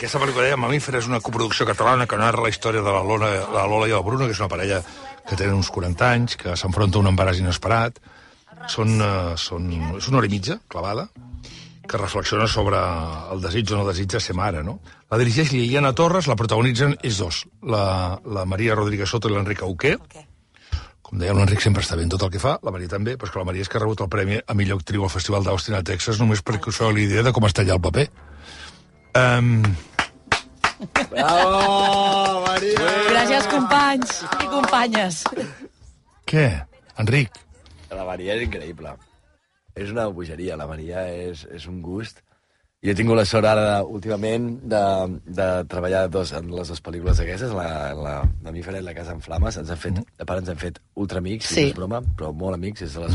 Aquesta pel·lícula de Mamífer és una coproducuna catalana que narra la història de la Lola i el Bruno, que és una parella que tenen uns 40 anys, que s'enfronta a un embaràs inesperat. És una hora i mitja, clavada, que reflexiona sobre el desig o no desig de ser mare, no? La dirigeix Liliana Torres, la protagonitzen ells dos, la Maria Rodríguez Soto i l'Enric Auqué. Com deia, l'Enric sempre està bé en tot el que fa, la Maria també, però és que la Maria és que ha rebut el premi a millor actriu al Festival d'Austin a Texas només perquè us feu l'idea de com està allà el paper. Bravo, Maria! Gràcies, companys i companyes. Què? Enric? La Maria és increïble. És una bogeria, la Maria és un gust. Jo he tingut la sort ara, últimament, de treballar en les dues pel·lícules aquestes, la Mamífera i la Casa en Flames. A part ens hem fet ultraamics, sí. No és broma, però molt amics, és de les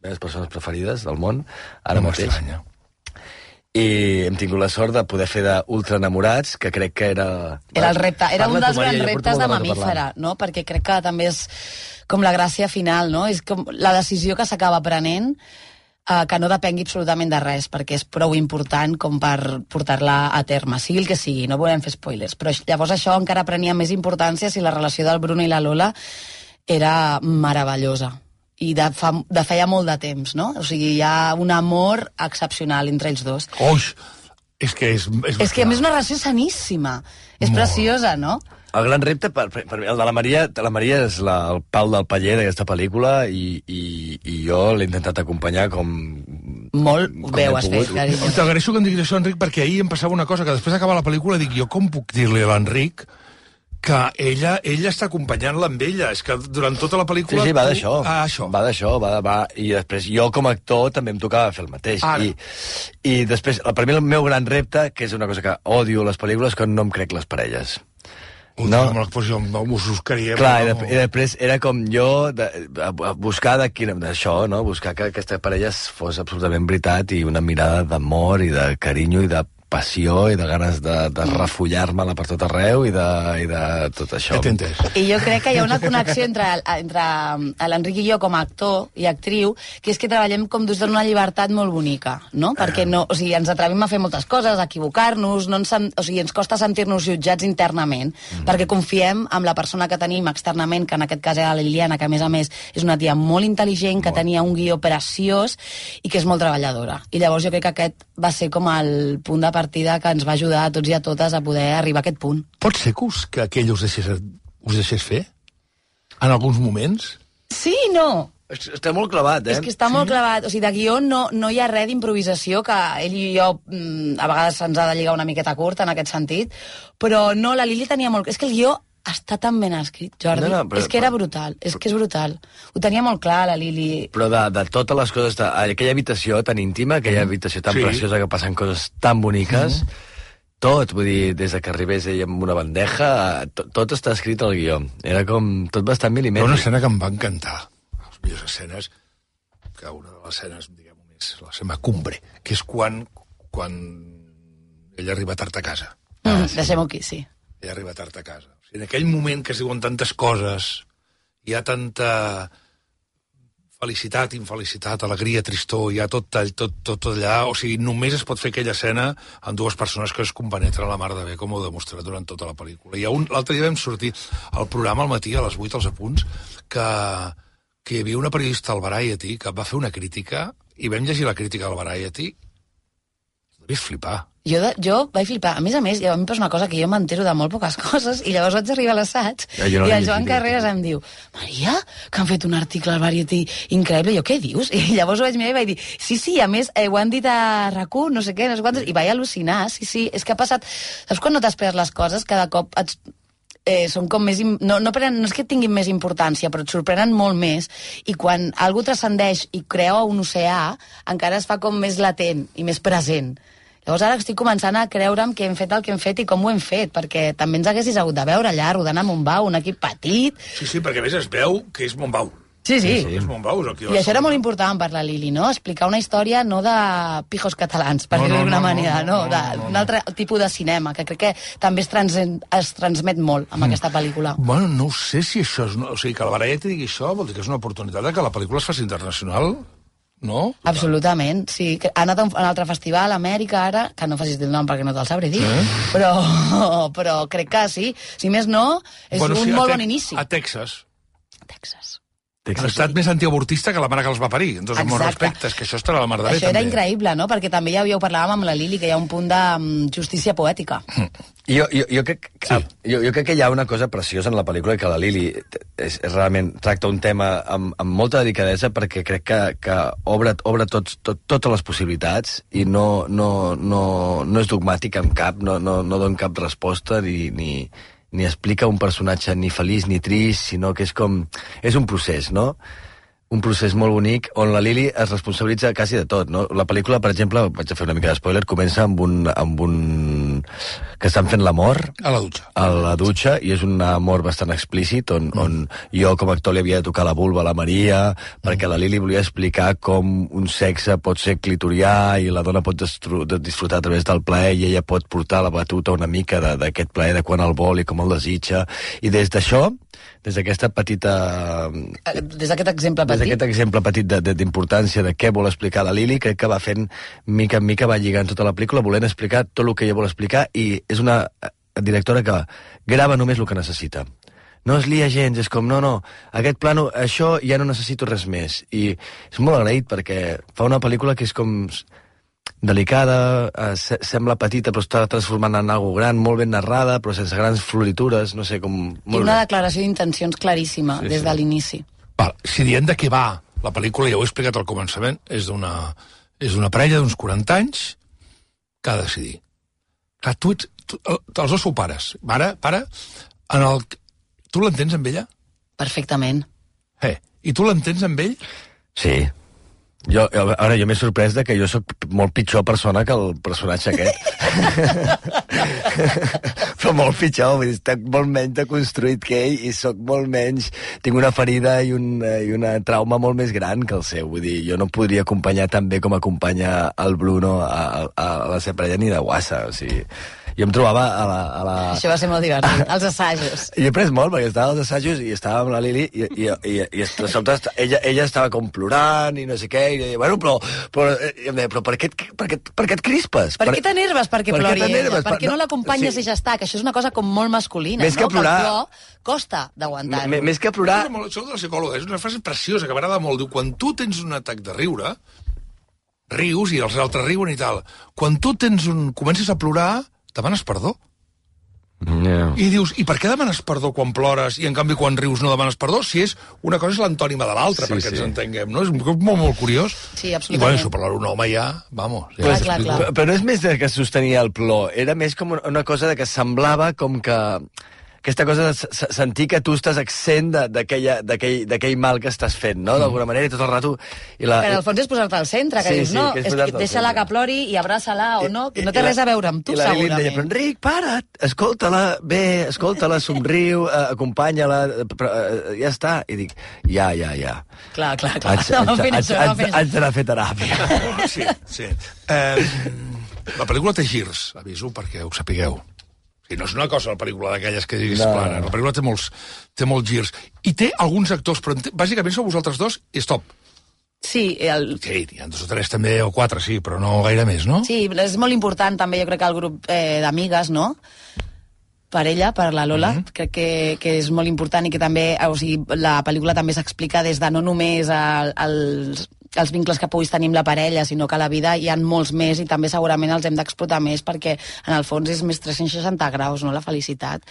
meves persones preferides del món, ara mateix. M'estranya. I hem tingut la sort de poder fer d'ultraenamorats, que crec que era... Era el repte, era un dels grans reptes de Mamífera, no? Perquè crec que també és com la gràcia final, no? És com la decisió que s'acaba prenent, que no depengui absolutament de res, perquè és prou important com per portar-la a terme, sigui el que sigui, no volem fer spoilers, però llavors això encara prenia més importància si la relació del Bruno i la Lola era meravellosa. I de feia molt de temps, no? O sigui, hi ha un amor excepcional entre ells dos. Oix! És que és que a més és una relació saníssima. És preciosa, no? El gran repte, per mi, el de la Maria és el pal del paller d'aquesta pel·lícula i jo l'he intentat acompanyar com... Molt bé ho has fet, carinyo. T'agraeixo que em diguis això, Enric, perquè ahir em passava una cosa, que després d'acabar la pel·lícula dic, jo com puc dir-li a l'Enric que ella està acompanyant-la amb ella. És que durant tota la pel·lícula... Sí, va d'això. Això. Va d'això, i després jo com a actor també em tocava fer el mateix. I després, per mi el meu gran repte, que és una cosa que odio a les pel·lícules, que no em crec les parelles. No, jo m'ho buscaria. Clar, i després era com jo buscar d'això, no? Buscar que aquesta parella fos absolutament veritat i una mirada d'amor i de carinyo i de passió i de ganes de refollar-me-la per tot arreu i de tot això. I jo crec que hi ha una connexió entre l'Enric i jo com a actor i actriu, que és que treballem com des d'una llibertat molt bonica, no? Perquè o sigui, ens atrevim a fer moltes coses, a equivocar-nos, o sigui, ens costa sentir-nos jutjats internament, perquè confiem en la persona que tenim externament, que en aquest cas era la Liliana, que a més és una tia molt intel·ligent, que tenia un guió preciós i que és molt treballadora. I llavors jo crec que aquest va ser com el punt de partida que ens va ajudar a tots i a totes a poder arribar a aquest punt. Pot ser que aquell us deixés fer? En alguns moments? Sí i no. Està molt clavat, És que està molt clavat. O sigui, de guió no hi ha res d'improvisació, que ell i jo a vegades se'ns ha de lligar una miqueta curt en aquest sentit, però no, la Lili tenia molt... És que el guió està tan ben escrit, Jordi. És que era brutal, és que és brutal. Ho tenia molt clar, la Lili. Però de totes les coses, aquella habitació tan íntima, aquella habitació tan preciosa, que passen coses tan boniques, tot, vull dir, des que arribés ell amb una bandeja, tot està escrit al guió. Era com tot bastant milimètric. Una escena que em va encantar. Les millors escenes, que una de les escenes, diguem-ho més, la seva cumbre, que és quan ell arriba tard a casa. Deixem-ho aquí, sí. Ell arriba tard a casa. En aquell moment que es diuen tantes coses, hi ha tanta felicitat, infelicitat, alegria, tristor, hi ha tot allà, o sigui, només es pot fer aquella escena amb dues persones que es compenetren la mar de bé, com ho he demostrat durant tota la pel·lícula. L'altre dia vam sortir al programa al matí, a les 8, als apunts, que hi havia una periodista al Variety que va fer una crítica, i vam llegir la crítica del Variety, i devies flipar. Jo vaig flipar. A més, a mi em passa una cosa, que jo m'entero de molt poques coses, i llavors vaig arribar a l'assaig, i el Joan Carreras em diu, Maria, que han fet un article al Variety increïble. Jo, què dius? I llavors ho vaig mirar i vaig dir, sí, a més, ho han dit a RAC1, no sé què, no sé quantos, i vaig al·lucinar, sí, és que ha passat... Saps quan no t'esperes les coses? Cada cop són com més... No és que tinguin més importància, però et sorprenen molt més, i quan algú transcendeix i crea un oceà, encara es fa com més latent i més present. Llavors ara estic començant a creure'm que hem fet el que hem fet i com ho hem fet, perquè també ens haguessis hagut de veure allà, rodant a Montbau, un equip petit... Sí, perquè a més es veu que és Montbau. Sí. És Montbau. I això era molt important per la Lili, no? Explicar una història no de pijos catalans, per dir-ho d'alguna manera, d'un altre tipus de cinema, que crec que també es transmet molt amb aquesta pel·lícula. Bueno, no sé si això és... O sigui, que el Variety digui això vol dir que és una oportunitat de que la pel·lícula es faci internacional no? Absolutament, sí. Ha anat a un altre festival a Amèrica ara, que no facis el nom perquè no te'l sabré dir, però crec que sí. Si més no, és un molt bon inici. A Texas. Han estat més antiavortista que la mare que els va parir. Doncs, amb molts respectes, que això estarà a la mar de bé, això era increïble, no? Perquè també ja ho parlàvem amb la Lili, que hi ha un punt de justícia poètica. Jo crec que hi ha una cosa preciosa en la pel·lícula, que la Lili realment tracta un tema amb molta delicadesa, perquè crec que obre totes les possibilitats i no és dogmàtic en cap, no dona cap resposta ni explica un personatge ni feliç ni trist, sinó que és un procés, no? Un procés molt bonic on la Lili es responsabilitza quasi de tot, no? La pel·lícula, per exemple, vaig a fer una mica de spoiler, comença amb un que estan fent l'amor a la dutxa. A la dutxa, i és un amor bastant explícit, on jo com a actor li havia de tocar la vulva a la Maria, perquè la Lili volia explicar com un sexe pot ser clitorià i la dona pot disfrutar a través del plaer, i ella pot portar la batuta una mica d'aquest plaer, de quan el vol i com el desitja. I des d'això, des d'aquesta petita... Des d'aquest exemple petit. Des d'aquest exemple petit d'importància de què vol explicar la Lili, crec que va fent, mica en mica, va lligant tota la pel·lícula, volent explicar tot el que ella vol explicar, i és una directora que grava només el que necessita. No es lia gens, és com, no, aquest plano, això ja no necessito res més. I és molt agraït, perquè fa una pel·lícula que és com delicada, sembla petita però està transformant en algo gran, molt ben narrada però sense grans floritures, no sé com... I una declaració d'intencions claríssima des de l'inici. Si diem de què va la pel·lícula, ja ho he explicat al començament, és d'una parella d'uns 40 anys que ha de decidir. Clar, els dos sou pares, mare, pare, tu l'entens amb ella? Perfectament. I tu l'entens amb ell? Sí. Jo m'he sorprès que jo sóc molt pitjor persona que el personatge aquest. Però molt pitjor, vull dir, estic molt menys deconstruït que ell i sóc molt menys... Tinc una ferida i una trauma molt més gran que el seu. Vull dir, jo no podria acompanyar tan bé com acompanya el Bruno a la seva parella ni de guassa, o sigui... Jo em trobava a la... Això va ser molt divertit, als assajos. Jo he après molt, perquè estava als assajos i estava amb la Lili i de sobte ella estava com plorant i no sé què, i deia, bueno, però em deia, però per què et crispes? Per què t'enerves perquè plori ella? Per què no l'acompanyes i ja està? Que això és una cosa com molt masculina, no? Que el plor costa d'aguantar-lo. Més que plorar... Això de la psicòloga és una frase preciosa que m'agrada molt. Diu, quan tu tens un atac de riure, rius i els altres riuen i tal. Quan tu comences a plorar, demanes perdó. I dius, i per què demanes perdó quan plores i en canvi quan rius no demanes perdó? Si és una cosa és l'antònima de l'altra, perquè ens entenguem, no? És molt curiós. Sí, absolutament. I bueno, això per un home ja, vamos. Clar. Però no és més que sostenia el plor, era més com una cosa de que semblava com que... Aquesta cosa de sentir que tu estàs exempt d'aquell mal que estàs fent, no? D'alguna manera, i tot el rato... Però al fons és posar-te al centre, que dius, no, deixa-la que plori i abraça-la o no, que no té res a veure amb tu, segurament. I la Lili deia, però Enric, para't, escolta-la, somriu, acompanya-la, ja està. I dic, ja. Clar. Haig d'anar a fer teràpia. Sí. La pel·lícula té girs, aviso, perquè ho sapigueu. I no és una cosa, la pel·lícula d'aquelles que diguis plana. La pel·lícula té molts girs. I té alguns actors, però bàsicament sou vosaltres dos i stop. Sí, hi ha 2 o 3 també, o 4, sí, però no gaire més, no? Sí, és molt important també, jo crec que el grup d'amigues, no? Per ella, per la Lola, crec que és molt important i que també, o sigui, la pel·lícula també s'explica des de no només els vincles que puguis tenir amb la parella, sinó que a la vida hi ha molts més i també segurament els hem d'explotar més perquè en el fons és més 360 graus, no?, la felicitat.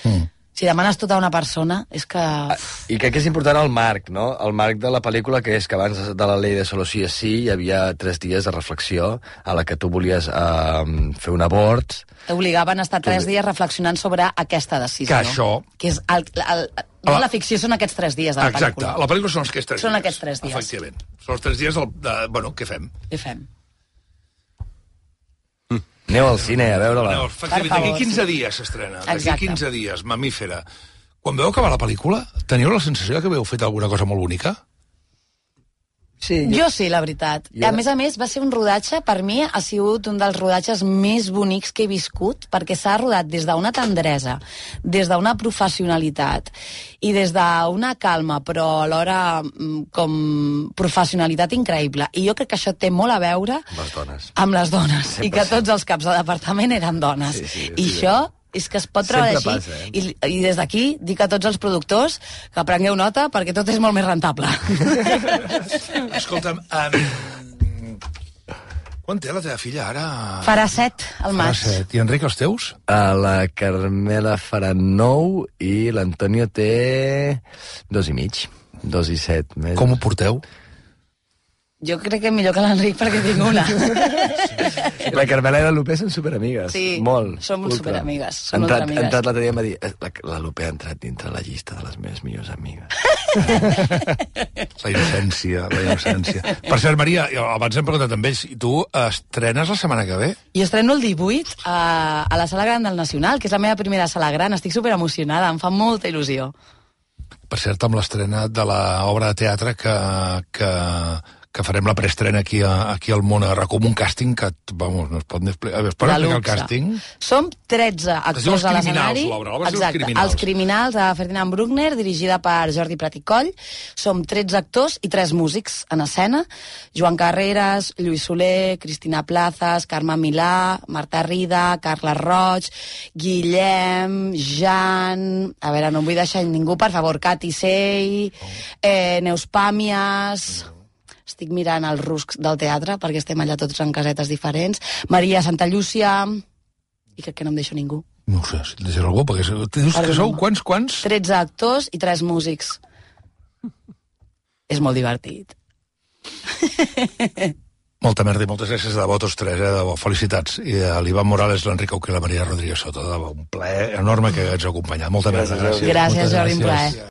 Si demanes tot a una persona, és que... I crec que és important el marc, no? El marc de la pel·lícula, que és que abans de la llei de solo sí és sí, hi havia 3 dies de reflexió a la que tu volies fer un abort. T'obligaven a estar 3 dies reflexionant sobre aquesta decisió, que això... Que és la ficció són aquests 3 dies de la pel·lícula. Exacte, la pel·lícula són aquests 3 dies. Són aquests 3 dies. Efectivament. Són els 3 dies bueno, què fem? Què fem? Aneu al cine a veure-la. D'aquí 15 dies s'estrena. D'aquí 15 dies, Mamífera. Quan veu acabar la pel·lícula, teniu la sensació que havíeu fet alguna cosa molt bonica? Sí, jo sí, la veritat. A més, va ser un rodatge, per mi ha sigut un dels rodatges més bonics que he viscut, perquè s'ha rodat des d'una tendresa, des d'una professionalitat i des d'una calma, però alhora com professionalitat increïble. I jo crec que això té molt a veure amb les dones. I que tots els caps de departament eren dones. I això és que es pot treballar així. I des d'aquí dic a tots els productors que prengueu nota perquè tot és molt més rentable. Escolta'm, quan té la teva filla ara? Farà 7 al maig. Farà 7. I Enric, els teus? La Carmela farà 9 i l'Antonio té 2 i mig. 2 i 7 mesos. Com ho porteu? Jo crec que millor que l'Enric perquè tinc una. La Carmela i la Lupe són superamigues. Sí, molt. som superamigues. Ha entrat l'altre dia i em va dir la Lupe ha entrat dintre la llista de les meves millors amigues. La innocència, la innocència. Per cert, Maria, abans hem preguntat amb ells, i tu estrenes la setmana que ve? Jo estreno el 18 a la Sala Gran del Nacional, que és la meva primera sala gran. Estic superemocionada, em fa molta il·lusió. Per cert, amb l'estrena de l'obra de teatre que farem la preestrena aquí al món a RAC1, un càsting que, vamos, no es pot ni explicar. Es pot explicar el càsting? Som 13 actors a l'escenari. Exacte, Els Criminals, de Ferdinand Bruckner, dirigida per Jordi Prat i Coll. Som 13 actors i 3 músics en escena. Joan Carreras, Lluís Soler, Cristina Plazas, Carme Milà, Marta Rida, Carla Roig, Guillem, Jan... A veure, no em vull deixar ningú, per favor. Cati Sey, Neus Pàmies... Estic mirant els ruscs del teatre, perquè estem allà tots en casetes diferents. Maria Santa Llúcia... I crec que no em deixo ningú. No ho sé, si et deixes algú, perquè dius que sou quants? 13 actors i 3 músics. És molt divertit. Molta merda i moltes gràcies de debò, tots 3, de debò. Felicitats. I a l'Ivan Morales, l'Enric Auqué i la Maria Rodríguez Soto. De debò, un plaer enorme que ens acompanyat. Molta merda, gràcies. Gràcies, Jordi, un plaer.